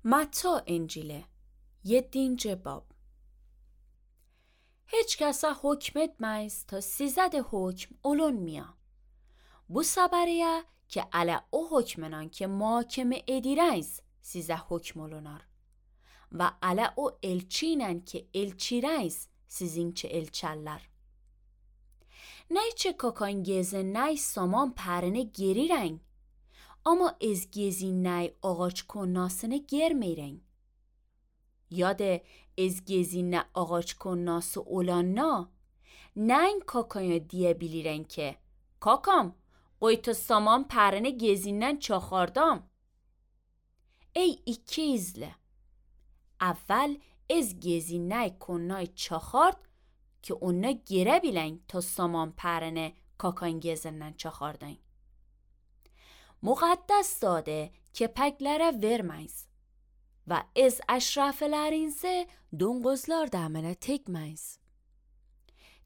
Matta Encili 7. bab. Hiç kasa hükmetmeyiz ta sizde hükm olunmuyor. Bu sabariye ki ala o hükmenan ki muhakeme edireyiz size hükm olunar. Ve ala o elçinen ki elçireyiz sizinçe elçerler. Neyçe kakan gezin ney saman perine geriren. Ama ez gezin ney ağaç konnasını germiren. یا ده از گزین آغاç konnası olanna neyin kakaya diyebiliren ki kakam qoyta saman pərini gezindən çaxardam. Ey iki izle. Əvvəl ez gezinnəy konnay çaxard ki ona gerə bilən ta saman pərini kakan gezindən çaxardan. Müqəddəs dadı kepəklərə verməyiz. Ve ez eşraflarınızı dongozlar damına tekmeyiz.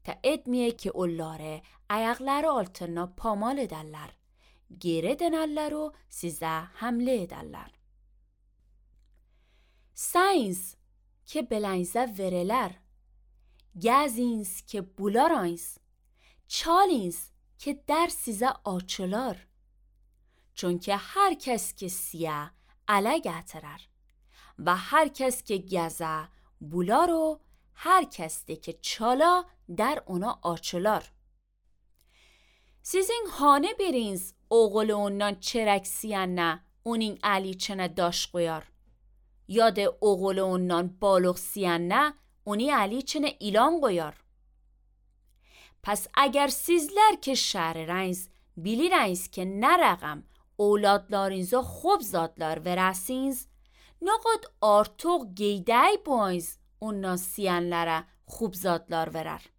Ta etmiye ki onları ayakları altına pamal ederler. Geri dönerler o size hamle ederler. Sayınız ki belenze vereler. Geziniz ki bularayız. Çaliniz ki der size açılar. Çünkü herkes ki siyah ele getirer. و هر کس که گزه بولا رو هر کس ده که چالا در اونا آچلار. Sizin hane biriniz oğul ondan çereksiyen ne onun علیچنه داش qoyar. یا ده oğul ondan بالغسیyen ne oni علیچنه ilan qoyar. Pes eğer sizler ki şehiriniz biliriniz ki ne rقم اولادlarınıza خوب zadlar verəsiniz نقد artıq geydəy boyz ondan siyenlere خوب zadlar verer.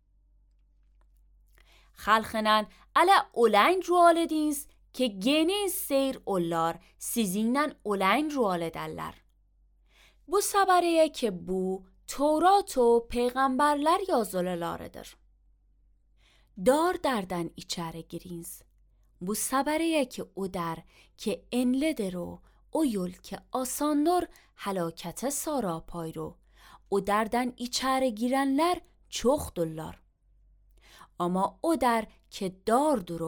Xalqınan ala olayn rual ediniz ki geniz seyr onlar sizinden olayn rual ederler. Bu sabariye ki bu Tevrat و peygamberler yazılılarıdır. Dar derden içeri giriniz. Bu sabariye ki o der ki enledir o o yol که آساندر هلاکت ساراپای رو o derden içeri girenler çoxdurlar. Ama o der ki dardır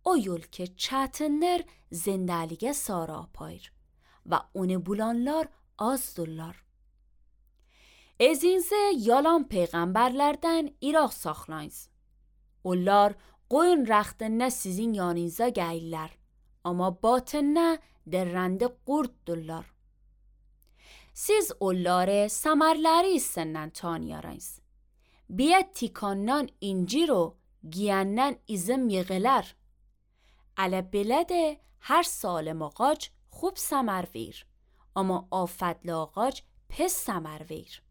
o yol ki çətindir zindəliğe sarapayır ve onu bulanlar azdırlar. Ezinizə yalan peygamberlerden iraq saxlayınız. Onlar qoyun rəxtində sizin yanınıza gəlirlər. Ama batınına درنده قرد دلار. Siz onları samarları senden tanıyarınız. Biya tikandan incir o giyenden izim yığılar. Ala belede her salم ağaç خوب ثمر ویر. Ama آفدل ağaç pes ثمر ویر.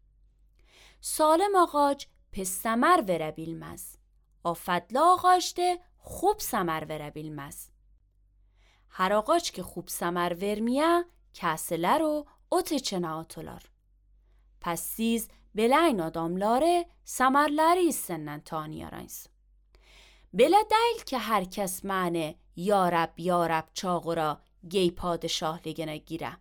Salم ağaç pes ثمر vere bilmez. آفدل ağaç de خوب ثمر vere bilmez. Her ağaç ki خوب ثمر vermiye kesile رو اتچنه atılar. Pes siz beleyn adamları ثمرleri senden tanıyarınız. Bele değil ki herkes mعنی یا رب çağıra گی padişahligine gire.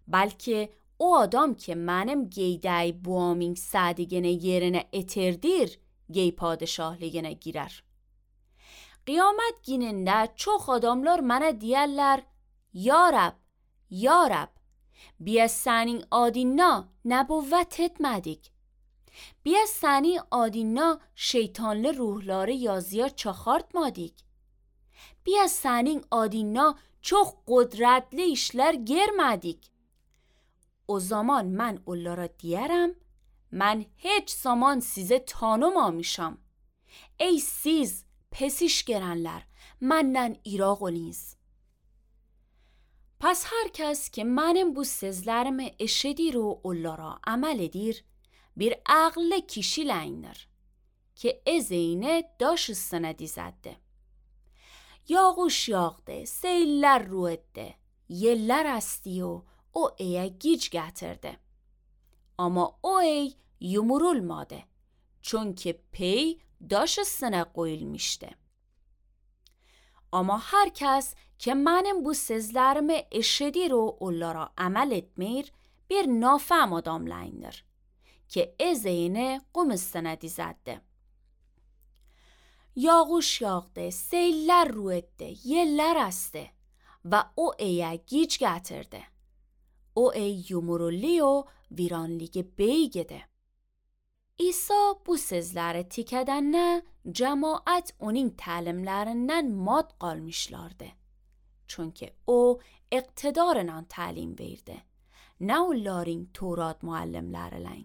Belki o adam ki benim geyday buaming sadigine yerine eterdir گی padişahligine girer. Qiyamət günündə çox adamlar mənə deyərlər, Ya Rab, biz sənin adına nəbuvvət etmədik. Biz sənin adına şeytanlı ruhları yazıya çaxartmadik. Biz sənin adına çox qudrətli işlər germədik. O zaman mən onlara deyərəm, mən heç zaman sizə tanımamışam. Ey siz pesiş gelenler, menden iraq oliniz. Pes herkes که benim bu sözlerimi eşedir و onlara amel edir, bir عقل kişileyindir که ezeyne daş üstüne dizeddi. Yağış yağdı, seyller ru etti, yeller esti و o eye gic getirdi. Ama o ey yumurulmadı. Çünkü pey daş üstüne koyulmuştu. Ama herkes ki benim bu sözlerimi eşidir و onlara amel etmir bir nafهم adamlardır ki ezeyine qum dizadde. Yağış yağdı, seyller رو etti, yeller astı ve o eye giç getirdi. O ey yumuruli و viranligi beygede. İsa bu sözleri tikədəndə cemaat onun təlimlərindən mat qalmışlardı. Çünkü o iqtidarla təlim verdi. Nə onların Torat müəllimlərilə.